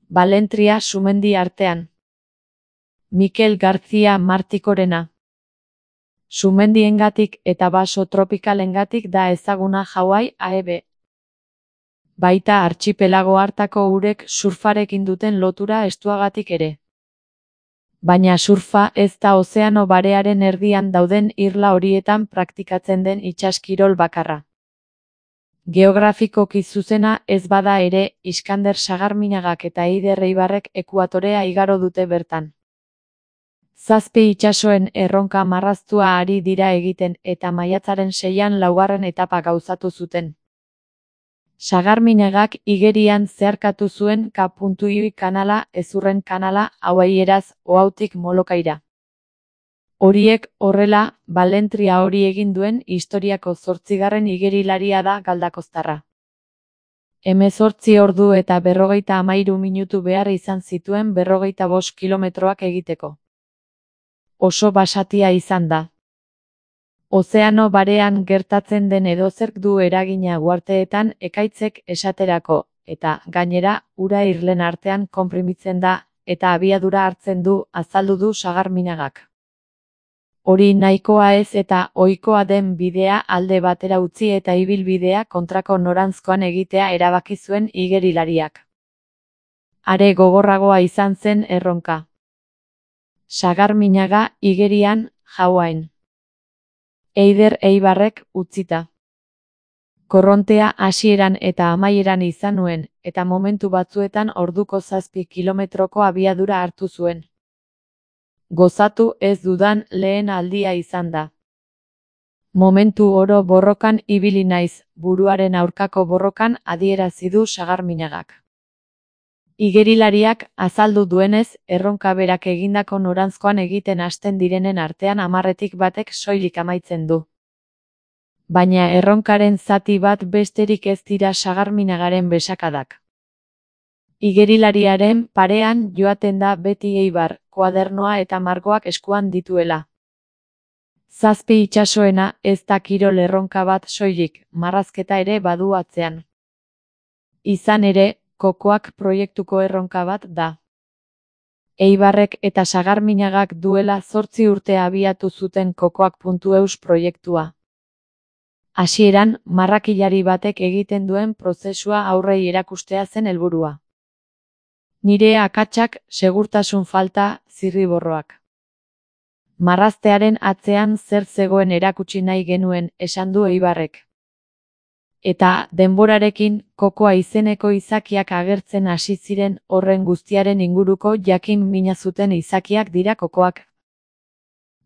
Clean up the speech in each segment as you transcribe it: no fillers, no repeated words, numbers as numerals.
Balentria sumendi artean. Mikel García Martikorena. Sumendiengatik eta baso tropikalengatik da ezaguna Hawaii AEB. Baita artxipelago hartako urek surfarekin duten lotura estuagatik ere. Baina surfa ez da ozeano barearen erdian dauden irla horietan praktikatzen den itsaskirol bakarra. Geografikoki zuzena ez bada ere, Iskander Sagarminagak eta Eider Eibarrek ekuatorea igaro dute bertan. 7 itsasoen erronka marraztua ari dira egiten eta maiatzaren 6an laugarren etapa gauzatu zuten. Sagarminagak igerian zeharkatu zuen K.I kanala ezurren kanala hauaieraz Oautik Molokaira. Horiek horrela, balentria hori egin duen historiako 8. igerilaria da galdakoztarra. 18 ordu eta 53 minutu behar izan zituen 45 kilometroak egiteko. Oso basatia izan da. Ozeano barean gertatzen den edozerk du eragina uharteetan ekaitzek esaterako, eta, gainera, ura irlen artean konprimitzen da, eta abiadura hartzen du, azaldu du Sagarminagak. Hori nahikoa ez eta ohikoa den bidea alde batera utzi eta ibilbidea kontrako noranzkoan egitea erabaki zuen igerilariak. Are gogorragoa izan zen erronka. Sagarminaga igerian, Hawaiin. Eider Eibarrek utzita. Korrontea hasieran eta amaieran izan nuen, eta momentu batzuetan orduko 7 kilometroko abiadura hartu zuen. Gozatu ez dudan lehen aldia izan da. Momentu oro borrokan ibili naiz, buruaren aurkako borrokan adierazi du Sagarminagak. Igerilariak azaldu duenez, erronka berak egindako noranzkoan egiten hasten direnen artean 10tik batek soilik amaitzen du. Baina erronkaren zati bat besterik ez dira Sagarminagaren besakadak. Igerilariaren parean joaten da beti Eibar, koadernoa eta margoak eskuan dituela. 7 itsasoena ez da kirol erronka bat soilik, marrazketa ere badu atzean. Izan ere, Kokoak proiektuko erronka bat da. Eibarrek eta Sagarminagak duela 8 urte abiatu zuten Kokoak.eus proiektua. Hasieran, marrakilari batek egiten duen prozesua aurrei erakustea zen helburua. Nire akatsak, segurtasun falta, zirriborroak. Marraztearen atzean zer zegoen erakutsi nahi genuen, esan du Eibarrek. Eta, denborarekin, Kokoa izeneko izakiak agertzen hasi ziren horren guztiaren inguruko jakin mina zuten izakiak dira Kokoak.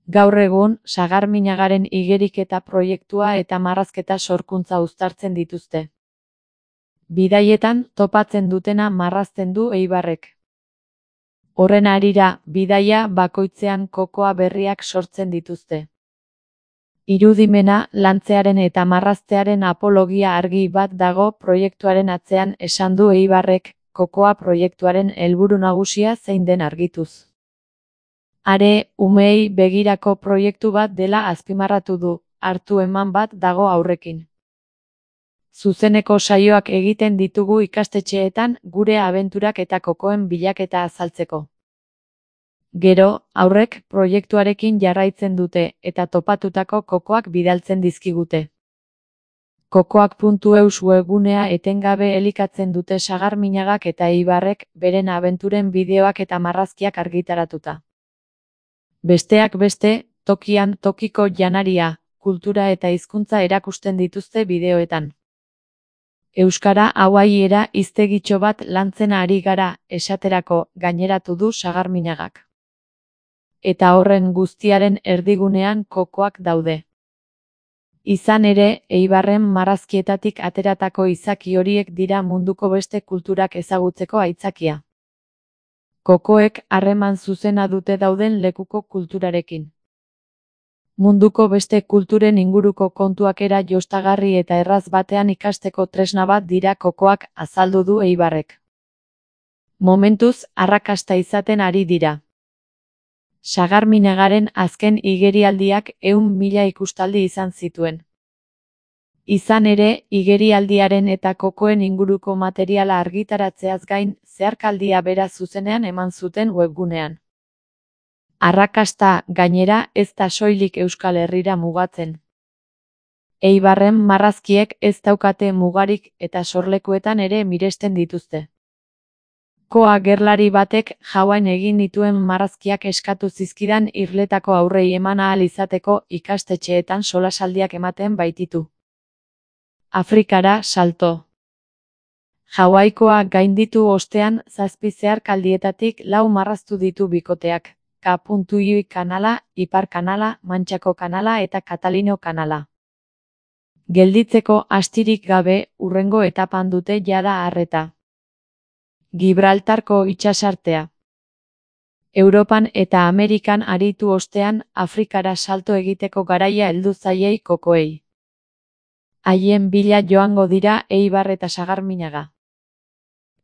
Gaur egun, Sagarminagaren igeriketa proiektua eta marrazketa sorkuntza uztartzen dituzte. Bidaietan, topatzen dutena marrazten du Eibarrek. Horren harira, bidaia bakoitzean Kokoa berriak sortzen dituzte. Irudimena, lantzearen eta marraztearen apologia argi bat dago proiektuaren atzean esan du Eibarrek, Kokoa proiektuaren helburu nagusia zein den argituz. Are, umeei begirako proiektu bat dela azpimarratu du, hartu eman bat dago aurrekin. Zuzeneko saioak egiten ditugu ikastetxeetan gure abenturak eta kokoen bilaketa azaltzeko. Gero, aurrek proiektuarekin jarraitzen dute eta topatutako kokoak bidaltzen dizkigute. Kokoak.eus webgunea etengabe elikatzen dute Sagarminagak eta Eibarrek beren abenturen bideoak eta marrazkiak argitaratuta. Besteak beste, tokian tokiko janaria, kultura eta hizkuntza erakusten dituzte bideoetan. Euskara hawaiiera hiztegitxo bat lantzen ari gara, esaterako, gaineratu du Sagarminagak. Eta horren guztiaren erdigunean kokoak daude. Izan ere, Eibarren marrazkietatik ateratako izaki horiek dira munduko beste kulturak ezagutzeko aitzakia. Kokoek harreman zuzena dute dauden lekuko kulturarekin. Munduko beste kulturen inguruko kontuak era jostagarri eta erraz batean ikasteko tresna bat dira kokoak, azaldu du Eibarrek. Momentuz, arrakasta izaten ari dira. Sagarminagaren azken igerialdiak 100.000 ikustaldi izan zituen. Izan ere, igerialdiaren eta kokoen inguruko materiala argitaratzeaz gain, zeharkaldia bera zuzenean eman zuten webgunean. Arrakasta, gainera, ez da soilik Euskal Herrira mugatzen. Eibarren marrazkiek ez daukate mugarik eta sorlekuetan ere miresten dituzte. Koa gerlari batek Hawaiin egin dituen marrazkiak eskatu zizkidan irletako aurrei eman ahal izateko ikastetxeetan solasaldiak ematen baititu. Afrikara salto. Hawaikoa gainditu ostean 7 zeharkaldietatik 4 marraztu ditu bikoteak, K.I kanala, Ipar kanala, Mantxako kanala eta Katalino kanala. Gelditzeko astirik gabe, hurrengo etapan dute jada arreta. Gibraltarko itsasartea. Europan eta Amerikan aritu ostean, Afrikara salto egiteko garaia heldu zaiei kokoei. Haien bila joango dira Eibar eta Sagarminaga.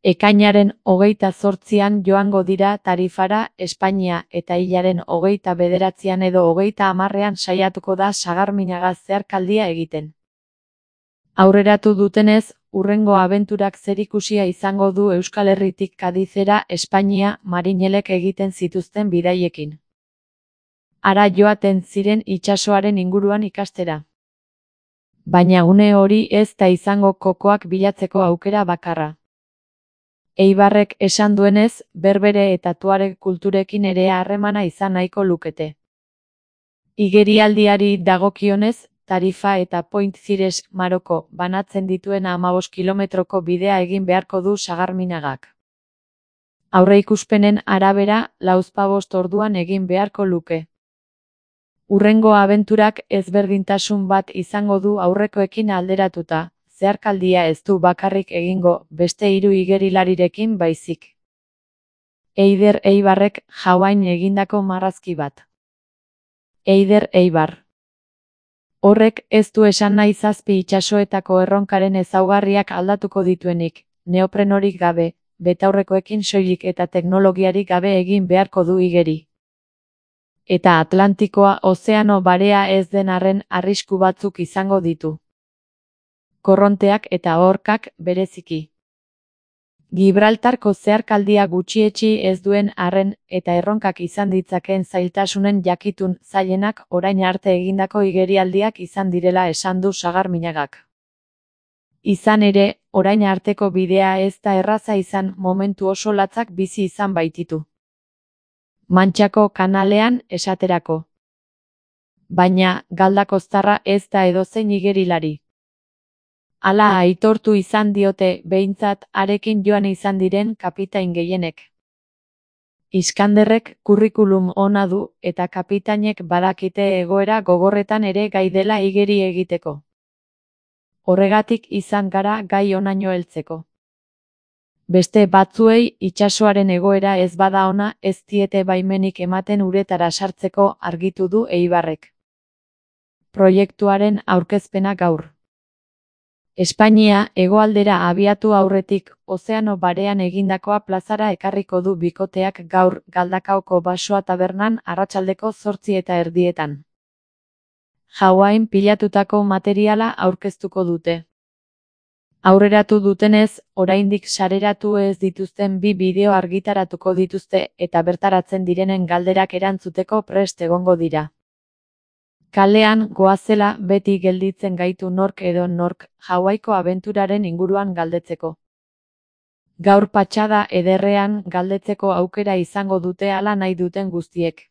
Ekainaren 28an joango dira Tarifara, Espainia eta hilaren 29an edo 30ean saiatuko da Sagarminaga zeharkaldia egiten. Aurreratu dutenez, hurrengo abenturak zerikusia izango du Euskal Herritik Kadizera, Espainia, marinelek egiten zituzten bidaiekin. Hara joaten ziren itsasoaren inguruan ikastera. Baina une hori ez da izango kokoak bilatzeko aukera bakarra. Eibarrek esan duenez, berbere eta tuareg kulturekin ere harremana izan nahiko lukete. Igerialdiari dagokionez, Tarifa eta Point Cires Maroko banatzen dituen 15 kilometroko bidea egin beharko du Sagarminagak. Aurreikuspenen arabera, 45 orduan egin beharko luke. Hurrengo abenturak ezberdintasun bat izango du aurrekoekin alderatuta, zeharkaldia ez du bakarrik egingo beste 3 igerilarirekin baizik. Eider Eibarrek Hawaiin egindako marrazki bat. Eider Eibar. Horrek ez du esan nahi 7 itsasoetako erronkaren ezaugarriak aldatuko dituenik, neoprenorik gabe, betaurrekoekin soilik eta teknologiarik gabe egin beharko du igeri. Eta Atlantikoa ozeano barea ez den arren arrisku batzuk izango ditu. Korronteak eta orkak bereziki. Gibraltarko zeharkaldia gutxietsi ez duen arren eta erronkak izan ditzakeen zailtasunen jakitun zailenak orain arte egindako igerialdiak izan direla esan du Sagarminagak. Izan ere, orain arteko bidea ez da erraza izan momentu oso latzak bizi izan baititu. Mantxako kanalean esaterako. Baina, galdakoztarra ez da edozein igerilari. Hala aitortu izan diote behintzat harekin joan izan diren kapitain gehienek. Iskanderrek kurrikulum ona du eta kapitainek badakite egoera gogorretan ere gai dela igeri egiteko. Horregatik izan gara gai honaino heltzeko. Beste batzuei itsasoaren egoera ez bada ona ez diete baimenik ematen uretara sartzeko argitu du Eibarrek. Proiektuaren aurkezpena gaur. Espainia hegoaldera abiatu aurretik ozeano barean egindakoa plazara ekarriko du bikoteak gaur Galdakaoko Basoa tabernan arratsaldeko 8:30. Hawaiin pilatutako materiala aurkeztuko dute. Aurreratu dutenez, oraindik sareratu ez dituzten 2 bideo argitaratuko dituzte eta bertaratzen direnen galderak erantzuteko prest egongo dira. Kalean goazela beti gelditzen gaitu nork edo nork Hawaiko abenturaren inguruan galdetzeko. Gaur patxada ederrean galdetzeko aukera izango dute hala nahi duten guztiek.